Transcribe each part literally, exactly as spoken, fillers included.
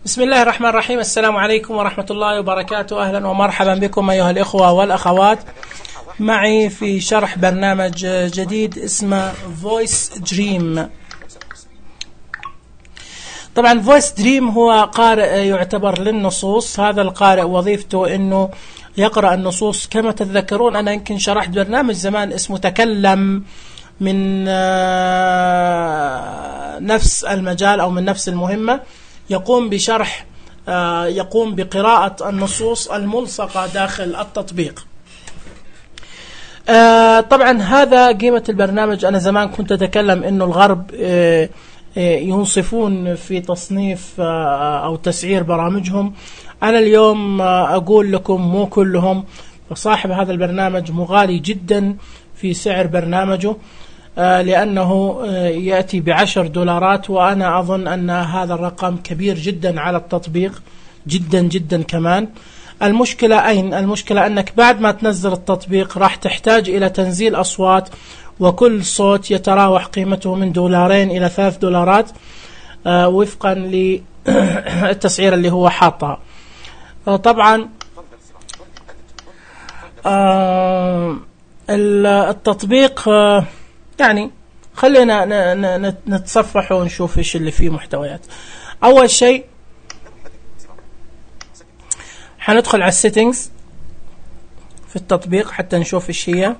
بسم الله الرحمن الرحيم. السلام عليكم ورحمة الله وبركاته. أهلا ومرحبا بكم أيها الإخوة والأخوات معي في شرح برنامج جديد اسمه Voice Dream. طبعا Voice Dream هو قارئ يعتبر للنصوص. هذا القارئ وظيفته أنه يقرأ النصوص. كما تتذكرون أنا يمكن شرحت برنامج زمان اسمه تكلم من نفس المجال أو من نفس المهمة، يقوم بشرح يقوم بقراءة النصوص الملصقة داخل التطبيق. طبعا هذا قيمة البرنامج. أنا زمان كنت أتكلم أنه الغرب ينصفون في تصنيف أو تسعير برامجهم. أنا اليوم أقول لكم مو كلهم. فصاحب هذا البرنامج مغالي جدا في سعر برنامجه لأنه يأتي بعشر دولارات، وأنا أظن أن هذا الرقم كبير جدا على التطبيق، جدا جدا كمان. المشكلة أين؟ المشكلة أنك بعد ما تنزل التطبيق راح تحتاج إلى تنزيل أصوات، وكل صوت يتراوح قيمته من دولارين إلى ثلاث دولارات وفقا للتسعير اللي هو حاطها. طبعا التطبيق يعني خلينا نتصفح ونشوف ايش اللي فيه محتويات. اول شيء حندخل على السيتنجز في التطبيق حتى نشوف ايش هي.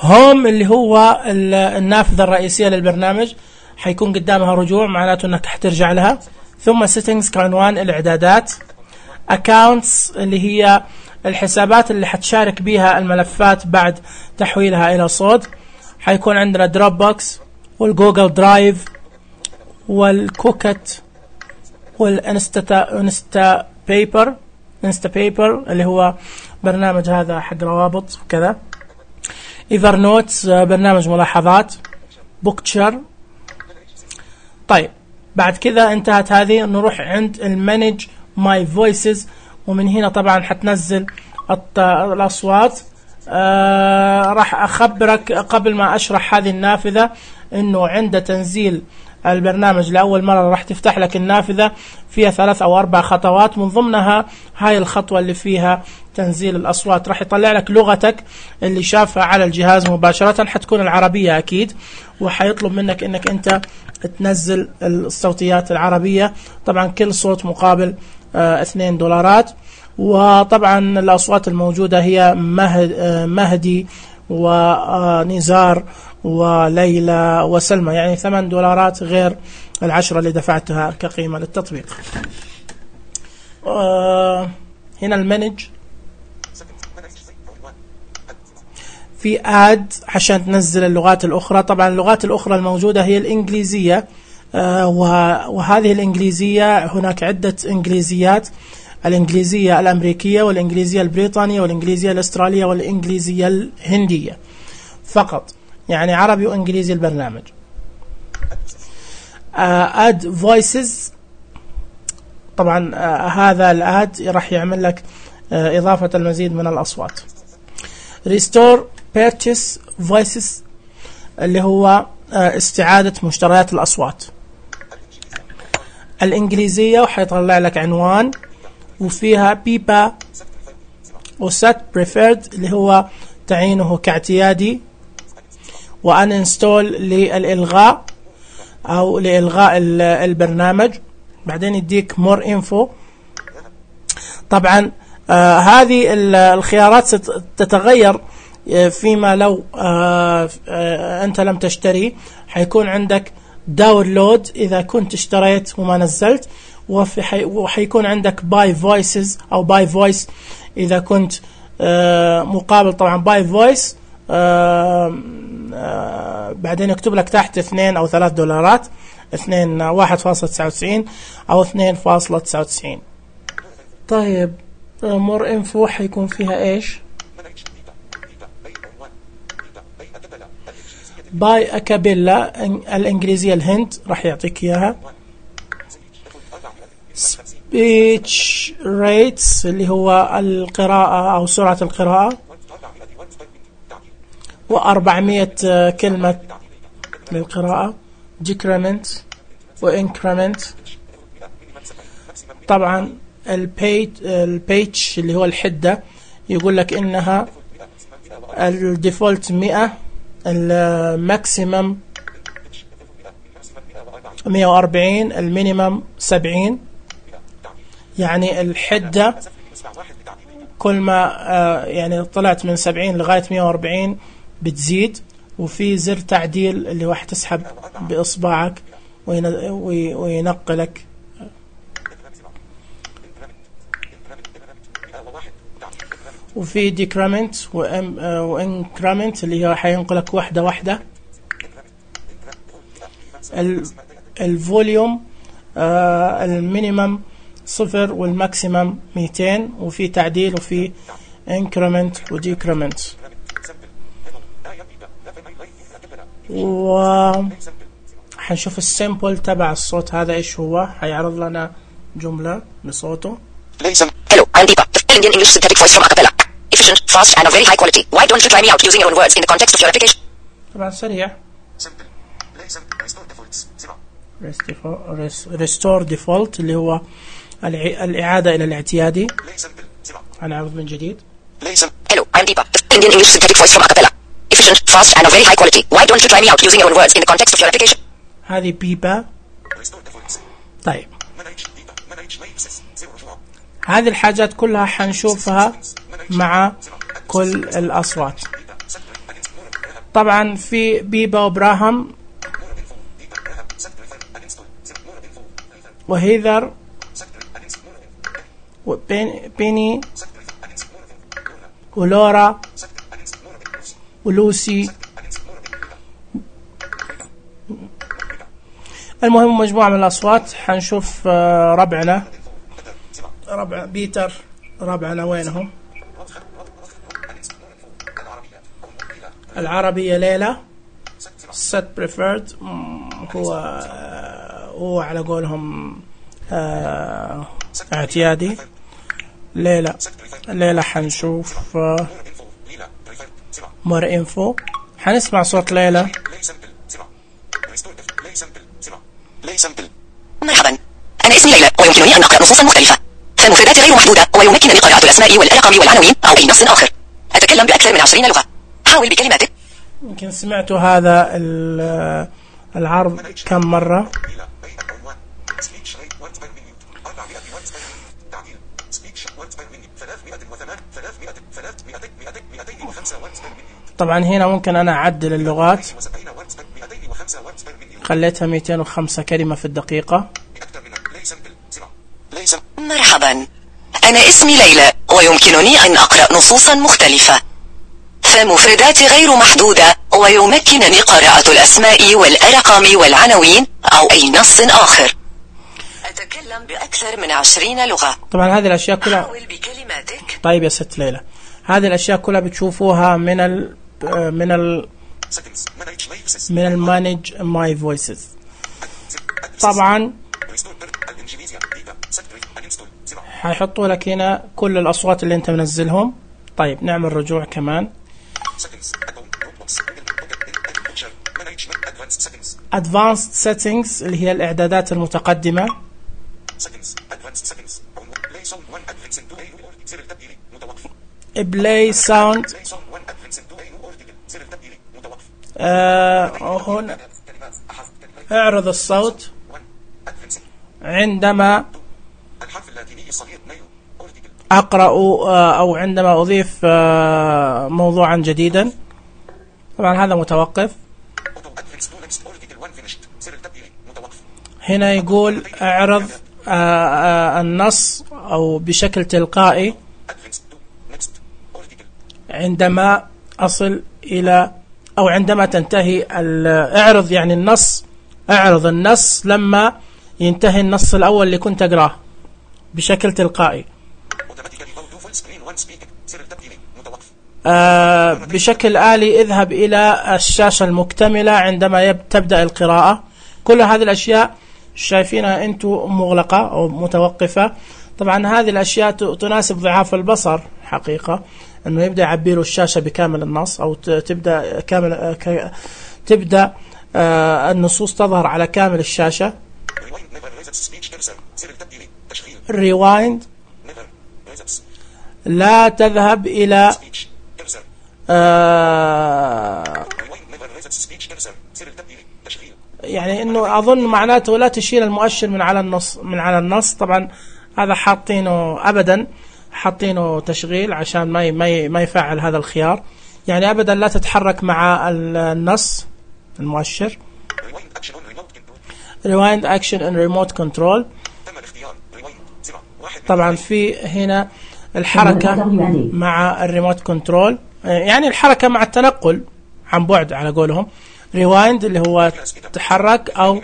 هوم اللي هو النافذة الرئيسية للبرنامج، حيكون قدامها رجوع معناته انك حترجع لها. ثم سيتنجز كعنوان الاعدادات. اكاونتس اللي هي الحسابات اللي حتشارك بيها الملفات بعد تحويلها إلى صوت. حيكون عندنا دروب بوكس والجوجل درايف والكوكت والانستا انستا بيبر انستا بيبر اللي هو برنامج هذا حق روابط وكذا. ايفر نوتس برنامج ملاحظات. بوكتشر. طيب بعد كذا انتهت هذه، نروح عند المانج ماي فويسز، ومن هنا طبعا حتنزل الأصوات. آه راح أخبرك قبل ما أشرح هذه النافذة أنه عند تنزيل البرنامج لأول مرة راح تفتح لك النافذة فيها ثلاث أو أربع خطوات، من ضمنها هاي الخطوة اللي فيها تنزيل الأصوات. راح يطلع لك لغتك اللي شافها على الجهاز مباشرة، حتكون العربية أكيد، وحيطلب منك أنك أنت تنزل الصوتيات العربية. طبعا كل صوت مقابل آه اثنين دولارات. وطبعا الأصوات الموجودة هي مهدي ونزار وليلى وسلمى، يعني ثمان دولارات غير العشرة اللي دفعتها كقيمة للتطبيق. آه هنا المانج في آد عشان تنزل اللغات الأخرى. طبعا اللغات الأخرى الموجودة هي الإنجليزية، آه وهذه الإنجليزية هناك عدة إنجليزيات: الإنجليزية الأمريكية والإنجليزية البريطانية والإنجليزية الأسترالية والإنجليزية الهندية فقط، يعني عربي وإنجليزي البرنامج. آد uh, فويسز. طبعا uh, هذا الآد راح يعمل لك uh, إضافة المزيد من الأصوات. ريستور بيرتشيس فويسز اللي هو uh, استعادة مشتريات الأصوات. الإنجليزية وحيطلع لك عنوان وفيها بيبا وسات بريفيرد اللي هو تعينه كاعتيادي، وأن انستول للإلغاء أو لإلغاء البرنامج. بعدين يديك مور انفو. طبعا آه هذه الخيارات ستتغير فيما لو آه آه أنت لم تشتري. حيكون عندك داونلود إذا كنت اشتريت وما نزلت، وحيكون عندك باي فويسز أو باي فويس إذا كنت آه مقابل. طبعا باي فويس آه آه بعدين يكتب لك تحت اثنين أو ثلاث دولارات، اثنين واحد فاصلة تسعة وتسعين أو اثنين فاصلة تسعة وتسعين. طيب مور انفو حيكون فيها ايش؟ باي أكابيلا الإنجليزية الهند راح يعطيك إياها. speech rates اللي هو القراءة أو سرعة القراءة، وأربعمية كلمة للقراءة. decrement وincrement طبعا البيج البيج اللي هو الحدة يقول لك إنها الديفولت مئة، الماكسيمم مئة وأربعين، المينيمم سبعين. يعني الحدة كل ما آه يعني طلعت من سبعين لغاية مئة وأربعين بتزيد. وفي زر تعديل اللي هو حتسحب بإصبعك وينقلك. وفي ديكريمنت وانكريمنت اللي هو حينقلك واحدة واحدة. الفوليوم آه المينيمم صفر والماكسيمم مئتين. وفي تعديل وفي انكريمنت وديكريمنت. وحنشوف السامبل تبع الصوت هذا ايش هو. حيعرض لنا جملة بصوته. Hello, I'm Deepa, the Indian English synthetic voice from Acapella. Efficient, fast and of very high quality. Why don't you try me out using your own words in the context of your application? طبعا سريع. Restore default اللي هو الإعادة إلى الاعتيادي. هنعرض من جديد. Hello, I'm Deepa, the Indian English synthetic voice from Acapella. Efficient, fast and of very high quality. Why don't you try me out using your own words in the context of your application? هذه بيبا. طيب هذه الحاجات كلها حنشوفها مع كل الأصوات. طبعا في بيبا وبراهام وهيذر وبيني ولورا ولوسي. المهم مجموعة من الأصوات. حنشوف ربعنا ربع بيتر. ربعنا وينهم؟ العربية ليلى. set preferred هو هو على قولهم اه اعتيادي. ليلى ليلى حنشوف مور انفو. حنسمع صوت ليلى. مرحبا، أنا اسمي ليلى ويمكنني أن أقرأ نصوصا مختلفة. فمفردات غير محدودة ويمكنني قراءة الأسماء والأرقام والعناوين أو أي نص آخر. أتكلم بأكثر من عشرين لغة. حاول بكلماتك. يمكن سمعتوا هذا العرض كم مرة. طبعا هنا ممكن أنا أعدل اللغات. خليتها مئتين وخمسة كلمة في الدقيقة. مرحبا، أنا اسمي ليلى ويمكنني أن أقرأ نصوصا مختلفة. فمفردات غير محدودة ويمكنني قراءة الأسماء والأرقام والعناوين أو أي نص آخر. أتكلم بأكثر من عشرين لغة. طبعا هذه الأشياء كلها. حاول بكلماتك. طيب يا ست ليلى، هذه الأشياء كلها بتشوفوها من ال من ال من المانج ماي فويسز. طبعا حيحطوا لك هنا كل الأصوات اللي أنت منزلهم. طيب نعمل رجوع كمان. Advanced settings اللي هي الإعدادات المتقدمة. Play sound. آه هنا اعرض الصوت عندما أقرأ أو عندما أضيف موضوعا جديدا. طبعا هذا متوقف. هنا يقول اعرض النص أو بشكل تلقائي عندما أصل إلى أو عندما تنتهي. اعرض يعني النص. اعرض النص لما ينتهي النص الأول اللي كنت أقراه بشكل تلقائي. آه بشكل آلي اذهب إلى الشاشة المكتملة عندما تبدأ القراءة. كل هذه الأشياء شايفينها أنتم مغلقة أو متوقفة. طبعا هذه الأشياء تناسب ضعاف البصر حقيقة، أنه يبدأ يعبي له الشاشة بكامل النص أو تبدأ كامل تبدأ آه النصوص تظهر على كامل الشاشة. rewind لا تذهب إلى آه يعني انه اظن معناته لا تشيل المؤشر من على النص من على النص. طبعا هذا حاطينه ابدا حاطينه تشغيل عشان ما ما ما يفعل هذا الخيار. يعني ابدا لا تتحرك مع النص المؤشر. rewind action and remote control. طبعا في هنا الحركة مع الريموت كنترول، يعني الحركة مع التنقل عن بعد على قولهم. rewind اللي هو تحرك، أو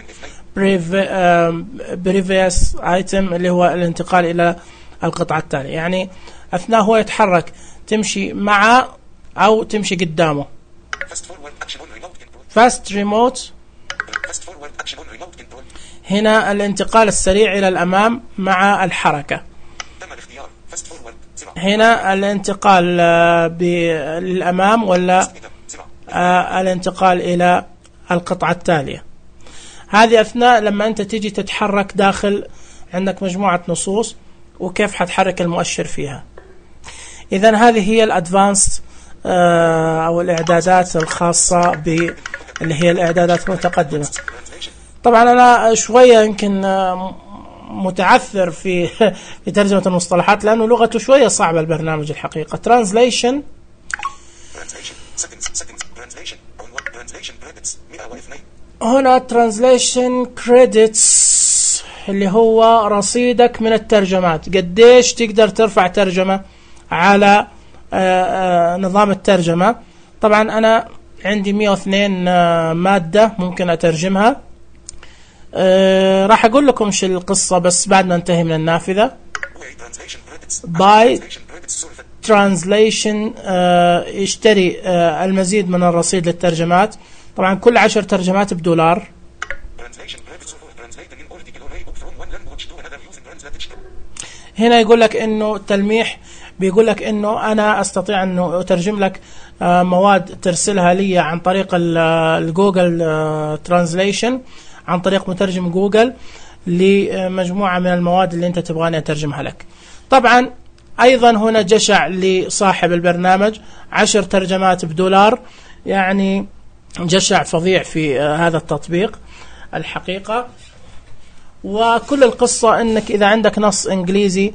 previous item اللي هو الانتقال إلى القطعة التالية. يعني أثناء هو يتحرك تمشي مع أو تمشي قدامه. fast remote هنا الانتقال السريع إلى الأمام مع الحركة. هنا الانتقال للأمام ولا الانتقال إلى القطعة التالية. هذه أثناء لما أنت تيجي تتحرك داخل عندك مجموعة نصوص وكيف حتحرك المؤشر فيها. إذن هذه هي الأدفانسد أو الإعدادات الخاصة ب اللي هي الإعدادات المتقدمة. طبعا أنا شوية يمكن متعثر في في ترجمة المصطلحات لأنه لغته شوية صعبة البرنامج الحقيقة. translation هنا translation credits اللي هو رصيدك من الترجمات، قديش تقدر ترفع ترجمة على نظام الترجمة. طبعا أنا عندي مئة واثنين مادة ممكن أترجمها. أه راح أقول لكم شو القصة بس بعد ما انتهي من النافذة. باي ترانزليشن أه يشتري أه المزيد من الرصيد للترجمات. طبعا كل عشر ترجمات بدولار. هنا يقول لك انه تلميح، بيقول لك انه انا استطيع انه اترجم لك أه مواد ترسلها لي عن طريق الجوجل أه ترانزليشن، عن طريق مترجم جوجل لمجموعة من المواد اللي انت تبغاني اترجمها لك. طبعا ايضا هنا جشع لصاحب البرنامج عشر ترجمات بدولار، يعني جشع فظيع في هذا التطبيق الحقيقة. وكل القصة انك اذا عندك نص انجليزي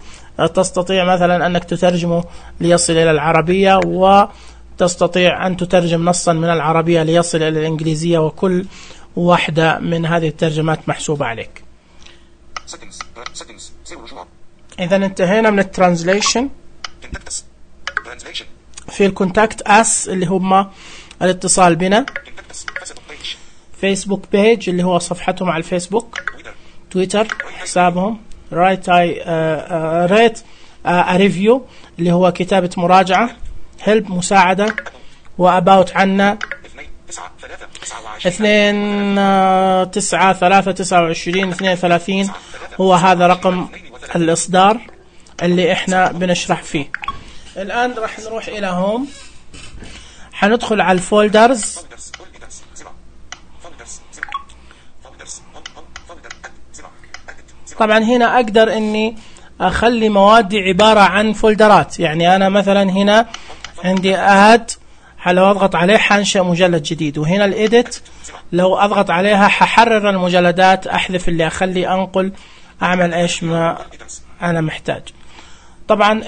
تستطيع مثلا انك تترجمه ليصل الى العربية، وتستطيع ان تترجم نصا من العربية ليصل الى الانجليزية، وكل واحدة من هذه الترجمات محسوبة عليك. إذا انتهينا من الترانزليشن. في الكونتاكت اس اللي هم الاتصال بنا. فيسبوك بيج اللي هو صفحتهم على الفيسبوك. تويتر حسابهم. رايت اي ريت ريفيو اللي هو كتابة مراجعة. هيلب مساعدة. واباوت عنا اثنين تسعة ثلاثة تسعة وعشرين اثنين ثلاثين هو هذا رقم الإصدار اللي احنا بنشرح فيه. الآن راح نروح إلى هوم، حندخل على الفولدرز. طبعا هنا أقدر إني أخلي موادي عبارة عن فولدرات. يعني أنا مثلا هنا عندي آد، لو أضغط عليه حنشأ مجلد جديد، وهنا الإيديت لو أضغط عليها ححرر المجلدات، أحذف اللي أخلي أنقل، أعمل إيش ما أنا محتاج. طبعا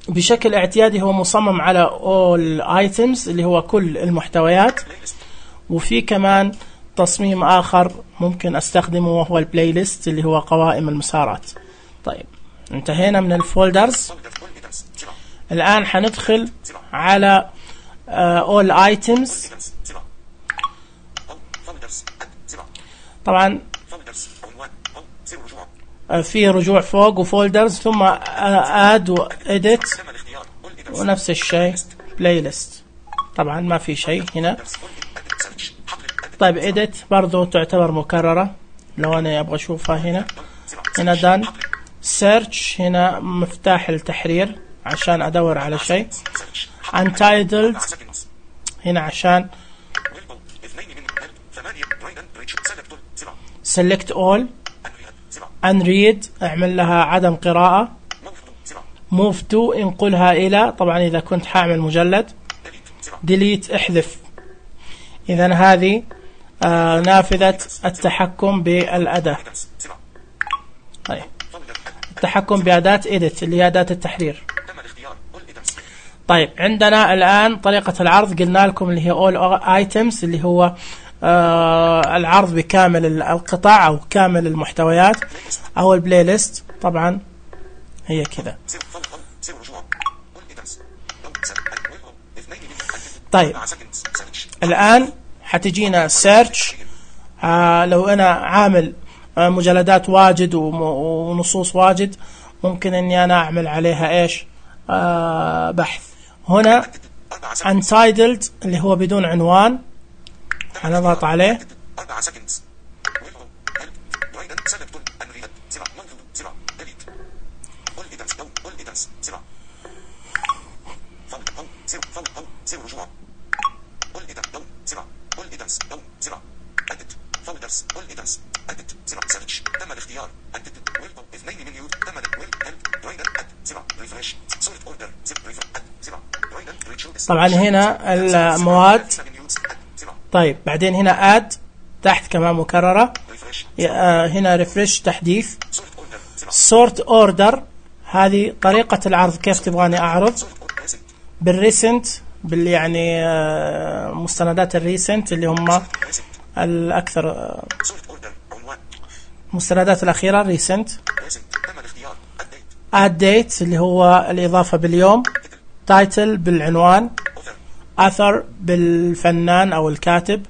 بشكل اعتيادي هو مصمم على all items اللي هو كل المحتويات، وفي كمان تصميم آخر ممكن أستخدمه وهو البلاي ليست اللي هو قوائم المسارات. طيب انتهينا من الفولدرز. الآن حندخل على uh, all items. طبعا uh, في رجوع فوق وفولدرز، ثم uh, add و edit، ونفس الشيء play list. طبعا ما في شيء هنا. طيب edit برضو تعتبر مكررة لو أنا أبغى أشوفها. هنا هنا done. search هنا مفتاح التحرير عشان أدور على شيء. untitled هنا عشان select all unread اعمل لها عدم قراءة. move to انقلها إلى، طبعا إذا كنت حاعمل مجلد. delete احذف. إذن هذه آه نافذة التحكم بالأداة. طيب التحكم بأداة edit اللي هي أداة التحرير. طيب عندنا الآن طريقة العرض، قلنا لكم اللي هي all items اللي هو آه العرض بكامل القطع أو كامل المحتويات، أو البلاي ليست. طبعا هي كذا. طيب الآن حتجينا search. آه لو أنا عامل آه مجلدات واجد ونصوص واجد، ممكن أني أنا أعمل عليها إيش آه بحث. هنا untitled اللي هو بدون عنوان، هنضغط عليه. طبعا هنا المواد. طيب بعدين هنا add تحت كمان مكررة. هنا ريفرش تحديث. sort order هذه طريقة العرض، كيف تبغاني أعرض. بالريسنت بال يعني مستندات الريسنت اللي هم الأكثر، مستندات الأخيرة ريسنت. add date اللي هو الإضافة باليوم. title بالعنوان. author بالفنان أو الكاتب.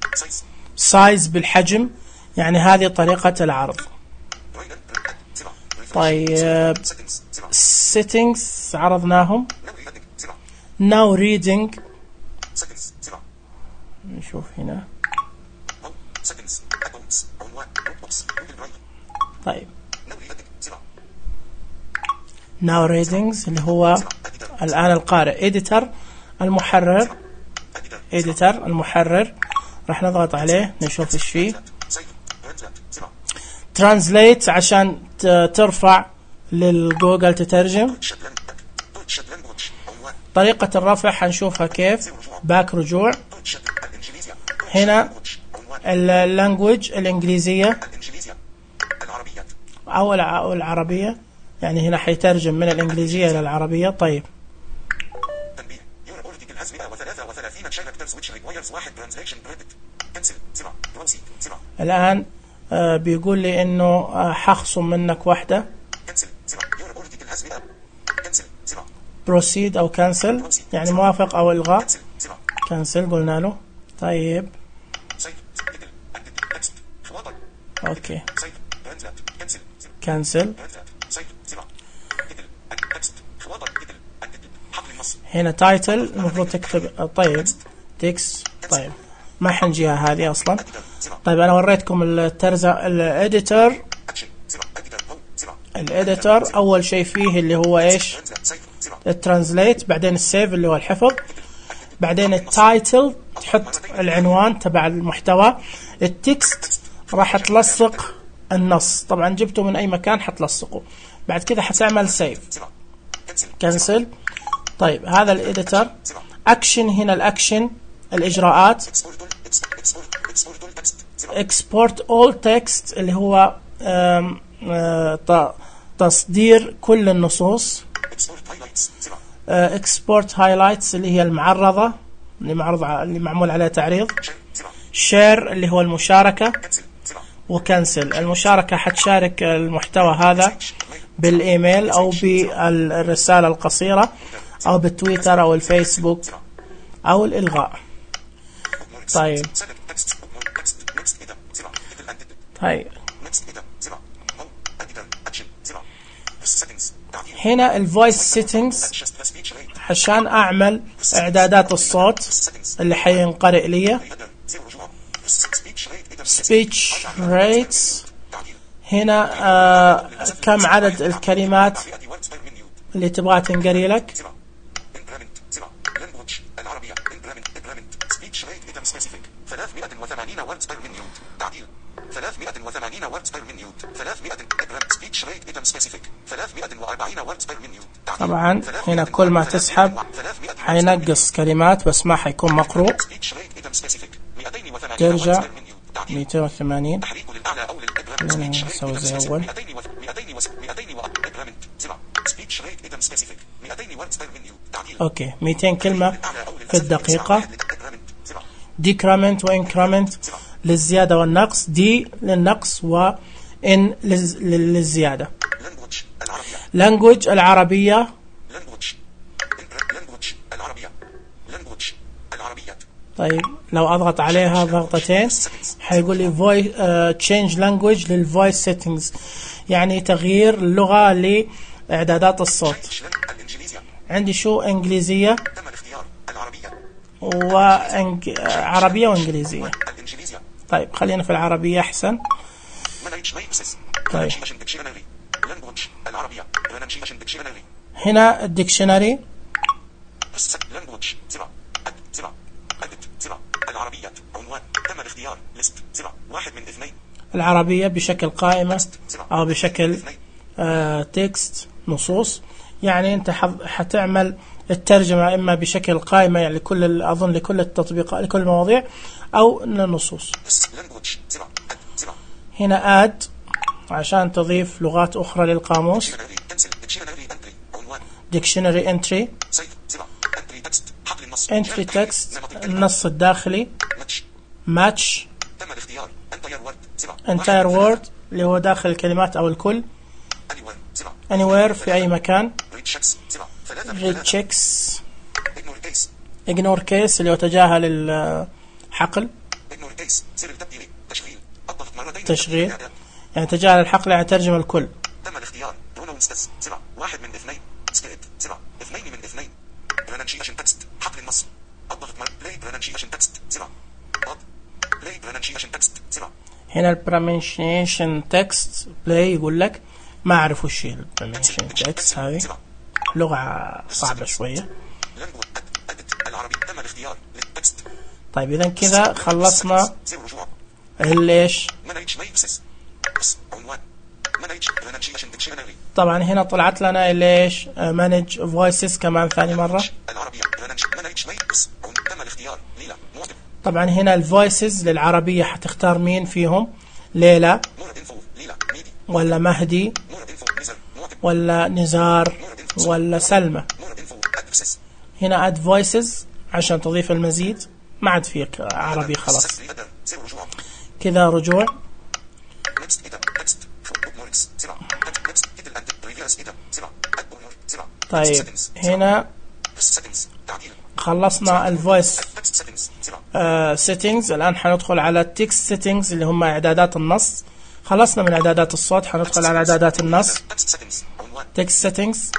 size بالحجم. يعني هذه طريقة العرض. طيب settings عرضناهم. now reading نشوف هنا. طيب now readings اللي هو الآن القارئ. editor المحرر. editor المحرر راح نضغط عليه نشوف ايش فيه. translate عشان ترفع للجوجل تترجم. طريقة الرفع حنشوفها كيف. باك رجوع. هنا اللانجوج الإنجليزية أو العربية، يعني هنا حيترجم من الإنجليزية إلى العربية. طيب الآن آه بيقول لي إنه آه حخصم منك واحدة. proceed أو cancel يعني موافق أو إلغاء. cancel قلنا له. طيب أوكي cancel. هنا title المفروض تكتب. طيب text. طيب ما حنجيها هذه أصلا. طيب أنا وريتكم الترزة الإديتور. الإديتور أول شيء فيه اللي هو إيش الترانزليت، بعدين السيف اللي هو الحفظ، بعدين التايتل تحط العنوان تبع المحتوى. التكست راح تلصق النص، طبعا جبته من أي مكان حتلصقه. بعد كده حتعمل سيف كنسل. طيب هذا الإديتور. أكشن هنا الأكشن الإجراءات. export all text اللي هو آم آم تصدير كل النصوص. export highlights اللي هي المعرضة اللي معرض اللي معمول عليها تعريض. share اللي هو المشاركة. وكنسل المشاركة حتشارك المحتوى هذا بالإيميل أو بالرسالة القصيرة أو بالتويتر أو الفيسبوك أو الإلغاء. طيب طيب هنا الفويس سيتنجز عشان أعمل إعدادات الصوت اللي حينقرئ لي. speech rates هنا آه كم عدد الكلمات اللي تبغى تنقري لك. ثلاثمائة وثمانين words per minute. ثلاثمائة speech rate item specific. ثلاثمائة وأربعين words per minute. طبعا هنا كل ما تسحب حينقص كلمات بس ما حيكون مقروء. ترجع مئتين وثمانين. خلينا نسوي زي أول. أوكي مئتين كلمة في الدقيقة. decrement وincrement للزيادة والنقص. دي للنقص وإن للزيادة. language العربية. طيب لو أضغط عليها ضغطتين حيقول لي voice uh, change language للvoice settings يعني تغيير اللغة لإعدادات الصوت. عندي شو إنجليزية وعربية وإنجليزية. طيب خلينا في العربية أحسن. طيب هنا الديكشنري. العربية بشكل قائمة أو بشكل آه تكست نصوص يعني أنت حتعمل الترجمة إما بشكل قائمة يعني لكل أظن لكل التطبيقات لكل المواضيع أو للنصوص. هنا add عشان تضيف لغات أخرى للقاموس. dictionary entry entry text النص الداخلي. match entire word اللي هو داخل الكلمات أو الكل. anywhere في أي مكان. read checks ignore case اللي هو تجاهل الحقل. تشغيل يعني تجاهل الحقل يعني ترجم الكل. تم الاختيار واحد من اثنين سكريبت اثنين من اثنين pronunciation text حقل النص الضغط play pronunciation text play pronunciation text. هنا ال pronunciation text play يقول لك ما أعرف وش هي ال pronunciation text هذه لغة صعبة شوية. طيب إذا كذا خلصنا ليش. طبعا هنا طلعت لنا ليش manage voices كمان ثاني مرة. طبعا هنا الفويسز للعربية حتختار مين فيهم ليلى ولا مهدي ولا نزار ولا سلمى. هنا add voices عشان تضيف المزيد ما عاد فيك عربي خلاص. كذا رجوع. طيب هنا خلصنا الفويس سيتنجز. الآن حندخل على التكست سيتنجز اللي هم إعدادات النص. خلصنا من إعدادات الصوت حندخل على إعدادات النص. تكست سيتنجز.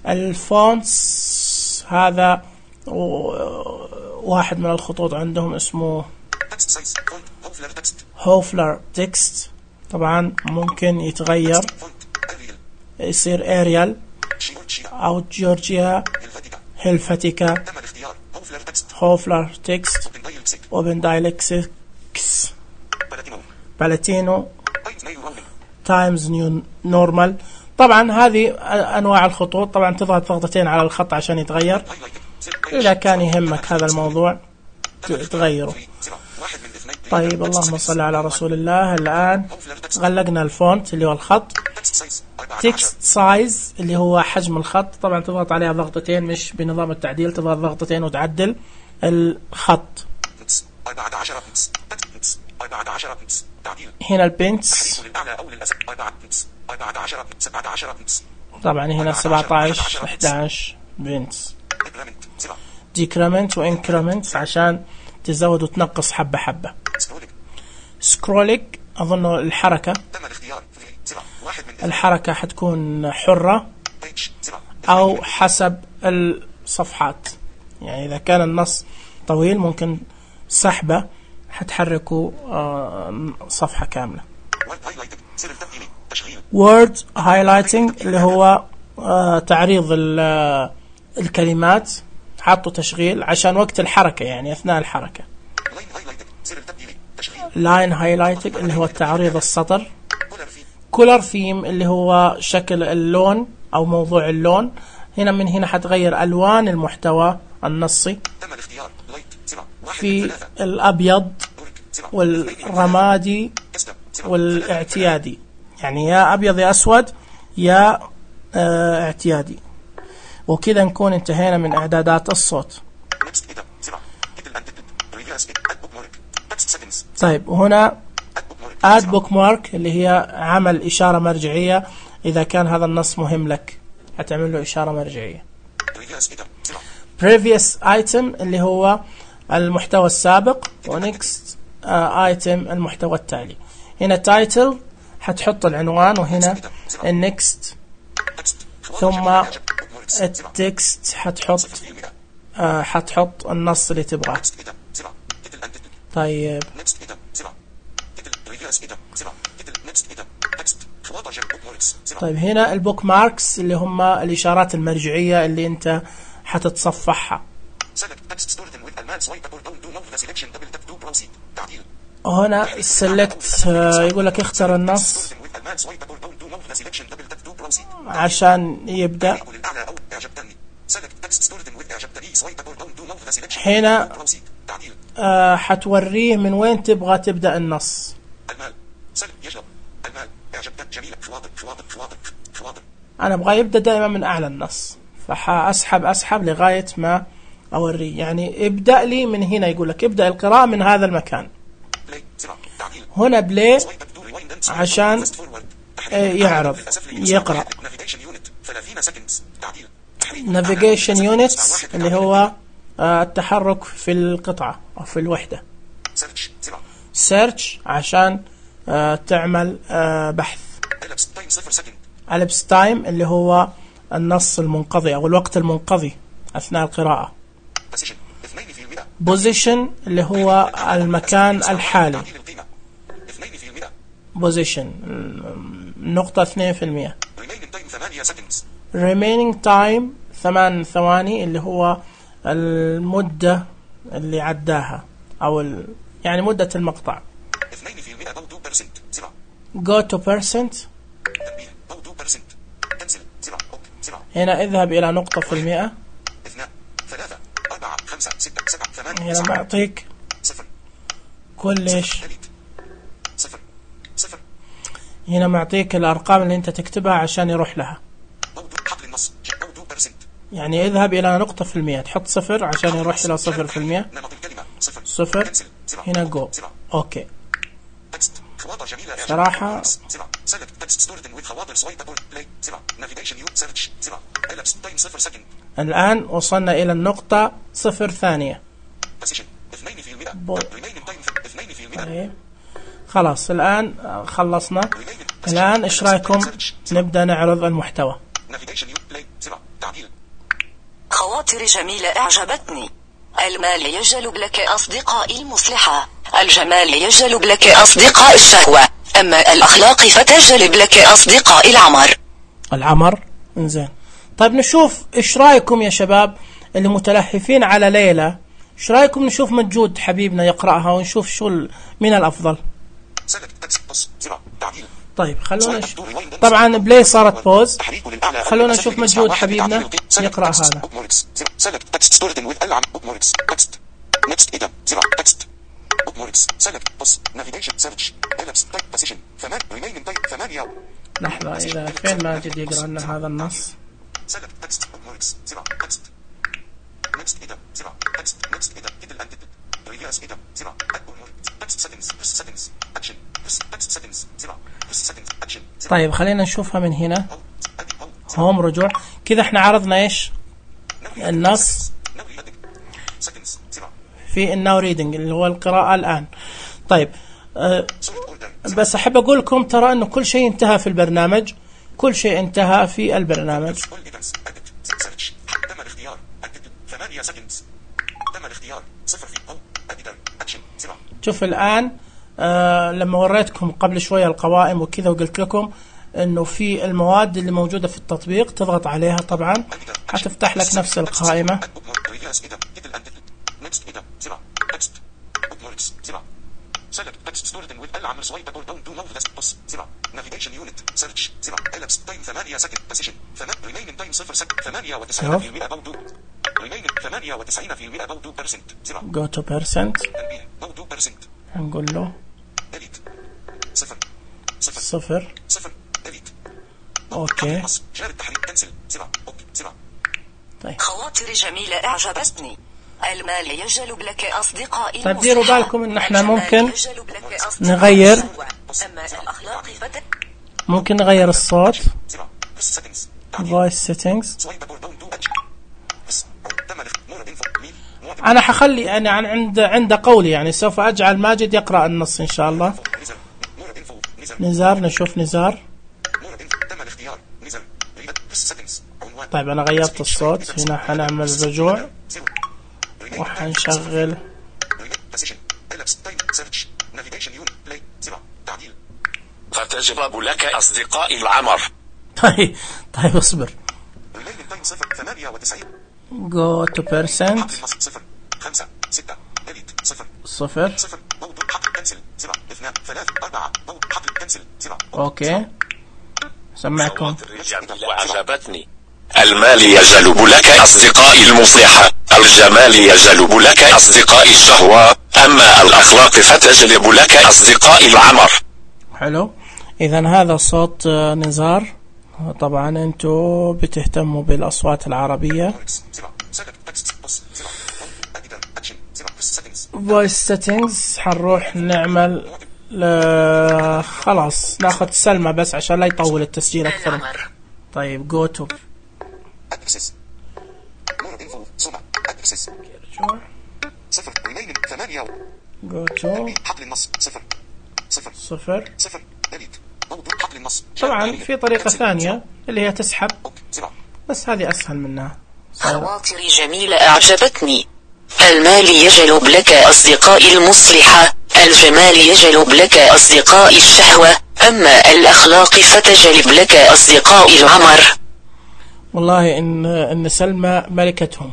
الفونتس هذا واحد من الخطوط عندهم اسمه هوفلر تكست. طبعا ممكن يتغير يصير اريال او جورجيا هلفتيكا هوفلر تكست اوبن دايلكسكس بالاتينو تايمز نيو نورمال. طبعا هذه انواع الخطوط. طبعا تضغط ضغطتين على الخط عشان يتغير. اذا كان يهمك هذا الموضوع تغيره. طيب اللهم صل على رسول الله. الآن غلقنا الفونت اللي هو الخط. تكست سايز اللي هو حجم الخط. طبعا تضغط عليها ضغطتين مش بنظام التعديل تضغط ضغطتين وتعدل الخط. هنا البنتس طبعا هنا سبعة عشر إحدى عشر بنتس. ديكريمنت وانكريمنت عشان تزود وتنقص حبة حبة. سكرولينج أظن الحركة. الحركة حتكون حرة أو حسب الصفحات يعني إذا كان النص طويل ممكن سحبة حتحركوا صفحة كاملة. word highlighting اللي هو تعريض الكلمات. حطوا تشغيل عشان وقت الحركة يعني أثناء الحركة. لاين هايلايتنج اللي هو تعريض السطر. كولر في كولر ثيم اللي هو شكل اللون أو موضوع اللون. هنا من هنا حتغير ألوان المحتوى النصي. تم الاختيار لايت سبعة واحد في من ثلاثة الأبيض دورك سبعة والرمادي كسبة سبعة والاعتيادي، يعني يا أبيض يا أسود يا آه اعتيادي. وكذا نكون انتهينا من إعدادات الصوت. نكست إيدا سبعة تيتل أند تيتل ريفيرس أد بوك مارك تكست سيتنجز طيب وهنا أد بوك مارك آد بوك مارك اللي هي عمل إشارة مرجعية. إذا كان هذا النص مهم لك هتعمل له إشارة مرجعية. ريفيرس إيدا سبعة previous item اللي هو المحتوى السابق، ونكست ايتم المحتوى التالي. هنا title حتحط العنوان، وهنا النكست تكست ثم التكست حتحط آه حتحط النص اللي تبغاه. نكست إيدا سبعة تيتل أند تيتل طيب نكست إيدا سبعة تيتل ريفيرس إيدا سبعة تيتل نكست إيدا تكست خواطر جنب بوك ماركس سبعة طيب هنا البوك ماركس اللي هم الإشارات المرجعية اللي أنت حتتصفحها. select text stored in with alman swipe up or down do now the selection double tap to proceed تعديل هنا select آه يقول لك اختر النص stored in with alman swipe up or down do now the selection double tap to proceed عشان يبدأ. يقول الأعلى أو إعجبتني select text stored in with إعجبتني swipe up or down do now the selection هنا double tap to proceed تعديل آه حتوريه من وين تبغى تبدأ النص. المال select يشرب المال إعجبتك جميلة خواطر خواطر خواطر خواطر أنا أبغى يبدأ دائما من أعلى النص، فحأسحب أسحب لغاية ما أوريه. يعني ابدأ لي من هنا، يقول لك ابدأ القراءة من هذا المكان. play سبعة تعديل هنا بلاي swipe up to rewind and swipe عشان fast forward إيه يعرض يقرأ. navigation unit ثلاثين seconds تعديل navigation units اللي هو آه التحرك في القطعة أو في الوحدة. search سبعة search عشان آه تعمل آه بحث. elapsed time صفر second elapsed time اللي هو النص المنقضي أو الوقت المنقضي أثناء القراءة. position اثنين في المئة position اللي هو المكان الحالي. تعديل القيمة اثنين في المئة position نقطة اثنين في المية. remaining time ثمانية seconds remaining time ثمان ثواني اللي هو المدة اللي عداها أو ال... يعني مدة المقطع. اثنين في المئة أو two percent سبعة go to percent تنبيه أو two percent cancel سبعة أوك سبعة هنا اذهب إلى نقطة في المئة. اثنان ثلاثة أربعة خمسة ستة سبعة ثمانية هنا تسعة معطيك صفر كل إيش. delete صفر صفر هنا معطيك الأرقام اللي أنت تكتبها عشان يروح لها. أو دو حقل النص أو two percent يعني اذهب إلى نقطة في المئة، تحط صفر عشان يروح إلى صفر في المئة. نمط الكلمة صفر صفر cancel سبعة هنا جو. سبعة أوكي. تكست خواطر جميلة صراحة سبعة select text stored in with خواطر swipe up play سبعة navigation you search سبعة elapsed time صفر second الآن وصلنا إلى النقطة صفر ثانية. position اثنين في المئة بو- remaining time اثنين في المئة طيب. خلاص الآن خلصنا. remaining الآن إيش رأيكم نبدأ نعرض المحتوى. navigation you play سبعة تعديل خواطر جميلة أعجبتني. المال يجلب لك أصدقاء المصلحة. الجمال يجلب لك أصدقاء الشهوة. أما الأخلاق فتجلب لك أصدقاء العمر. العمر انزين. طيب نشوف إيش رأيكم يا شباب اللي متلهفين على ليلى، إيش رأيكم نشوف مجود حبيبنا يقرأها ونشوف شو ال- من الأفضل. select text بص سبعة تعديل طيب خلونا نش... طبعا بلاي صارت بوز. تحريك للأعلى خلونا نشوف مجهود حبيبنا يقرأ هذا. select text stored in with العم bookmarks text next إذا سبعة text bookmarks select بص navigation search elapsed type position ثمان remaining type ثمانية لحظة إذا فين ماجد يقرأ لنا هذا النص. select text bookmarks سبعة text next إذا سبعة text next إذا title and title previous إذا سبعة bookmarks text settings press settings action press text settings سبعة press settings action طيب خلينا نشوفها من هنا. Out, edit, out, هوم رجوع. كذا احنا عرضنا إيش النص now reading settings سبعة في الناو ريدنج اللي هو القراءة الآن. طيب أه sort order بس أحب أقول لكم ترى أنه كل شيء انتهى في البرنامج، كل شيء انتهى في البرنامج. all events edit search تم الاختيار edit ثمانية seconds تم الاختيار صفر في أو editor action سبعة شوف الآن آه لما وريتكم قبل شوية القوائم وكذا وقلت لكم أنه في المواد اللي موجودة في التطبيق تضغط عليها طبعا حتفتح لك نفس القائمة. select text stored in with العمل swipeable down to move this بص زرع navigation unit search زرع elapsed time ثمانية سكند position ثمان remaining time صفر سكند ثمانية وتسعين في المئة about to remaining ثمانية وتسعين في المئة about two percent زرع go to percent تنبيه about two percent هنقول له delete صفر صفر صفر صفر delete اوكي جار التحريك كنسل زرع اوكي زرع طيب خواطر جميلة أعجبتني. المال يجلب لك أصدقائي. طيب ديروا بالكم ان احنا ممكن نغير ممكن نغير الصوت voice settings. انا حخلي يعني عند عند قولي يعني سوف اجعل ماجد يقرأ النص ان شاء الله. نزار نشوف نزار. طيب انا غيرت الصوت هنا حنعمل رجوع وحنشغل فتجلب لك أصدقاء العمر. طيب طيب اصبر go to percent صفر اوكي سمعكم. وعجبتني. المال يجلب لك أصدقاء المصلحة، الجمال يجلب لك أصدقاء الشهوة، أما الأخلاق فتجلب لك أصدقاء العمر. حلو. إذن هذا صوت نزار. طبعا أنتوا بتهتموا بالأصوات العربية. voice settings حنروح نعمل ل... خلاص ناخذ سلمى بس عشان لا يطول التسجيل أكثر. طيب go to access more info سمع access صفر remaining ثمانية go to حقل النص صفر صفر صفر صفر delete موضوع حقل النص. طبعا في طريقة ثانية اللي هي تسحب بس هذه أسهل منها. خواطر جميلة أعجبتني. المال يجلب لك أصدقاء المصلحة، الجمال يجلب لك أصدقاء الشهوة، أما الأخلاق فتجلب لك أصدقاء العمر. والله إن إن سلمى ملكتهم.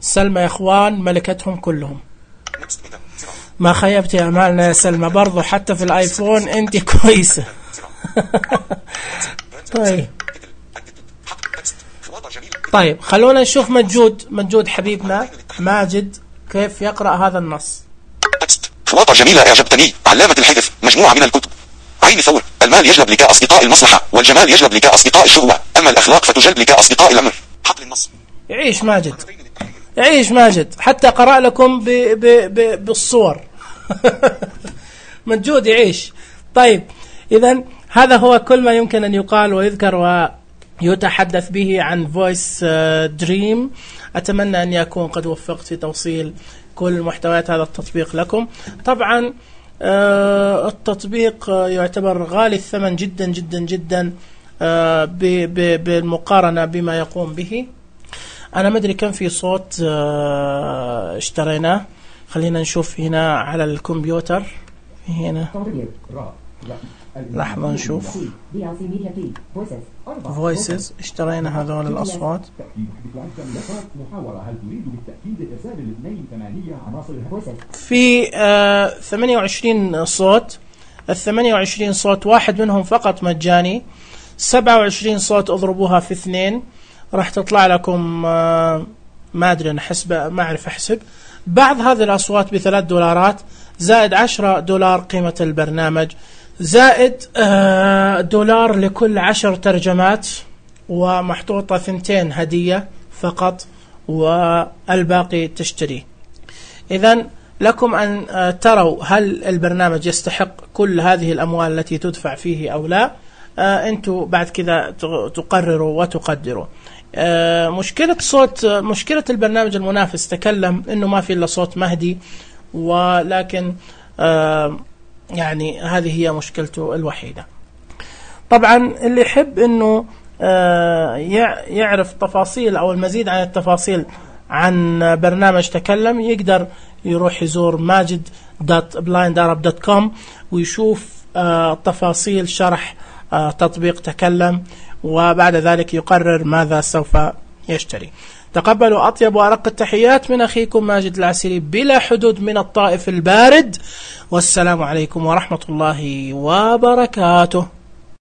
سلمى يا إخوان ملكتهم كلهم. ما خيبت أمالنا يا سلمى برضو حتى في الآيفون أنت كويسة. طيب طيب خلونا نشوف مجود مجود حبيبنا ماجد كيف يقرأ هذا النص. خواطر جميلة أعجبتني. علامة الحذف مجموعة من الكتب. عين ثور. المال يجلب لك أصدقاء المصلحة والجمال يجلب لك أصدقاء الشهوة، أما الأخلاق فتجلب لك أصدقاء الأمر. حقل النص. يعيش ماجد يعيش ماجد حتى قرأ لكم ب ب ب بالصور. مجود يعيش. طيب إذن هذا هو كل ما يمكن أن يقال ويذكر ويتحدث به عن Voice Dream. أتمنى أن يكون قد وفقت في توصيل كل محتويات هذا التطبيق لكم. طبعا التطبيق يعتبر غالي الثمن جدا جدا جدا بالمقارنة بما يقوم به. أنا ما أدري كم في صوت اشتريناه. خلينا نشوف هنا على الكمبيوتر هنا لحظة نشوف voices اشترينا هذول الأصوات. في آه ثمانية وعشرين صوت. الثمانية وعشرين صوت واحد منهم فقط مجاني. سبعة وعشرين صوت اضربوها في اثنين راح تطلع لكم آه ما أدري أنا حسب ما أعرف أحسب. بعض هذه الأصوات بثلاث دولارات زائد عشرة دولار قيمة البرنامج زائد آه دولار لكل عشر ترجمات ومحطوطة ثنتين هدية فقط والباقي تشتري. إذن لكم أن آه تروا هل البرنامج يستحق كل هذه الأموال التي تدفع فيه أو لا. آه أنتوا بعد كذا تقرروا وتقدروا. آه مشكلة صوت آه مشكلة البرنامج المنافس تكلم إنه ما في إلا صوت مهدي، ولكن آه يعني هذه هي مشكلته الوحيدة. طبعا اللي يحب إنه آه يعرف تفاصيل أو المزيد عن التفاصيل عن برنامج تكلم يقدر يروح يزور ماجد دوت بلايند أرب دوت كوم ويشوف آه تفاصيل شرح آه تطبيق تكلم، وبعد ذلك يقرر ماذا سوف يشتري. تقبلوا أطيب وأرق التحيات من أخيكم ماجد العسيري بلا حدود من الطائف البارد، والسلام عليكم ورحمة الله وبركاته.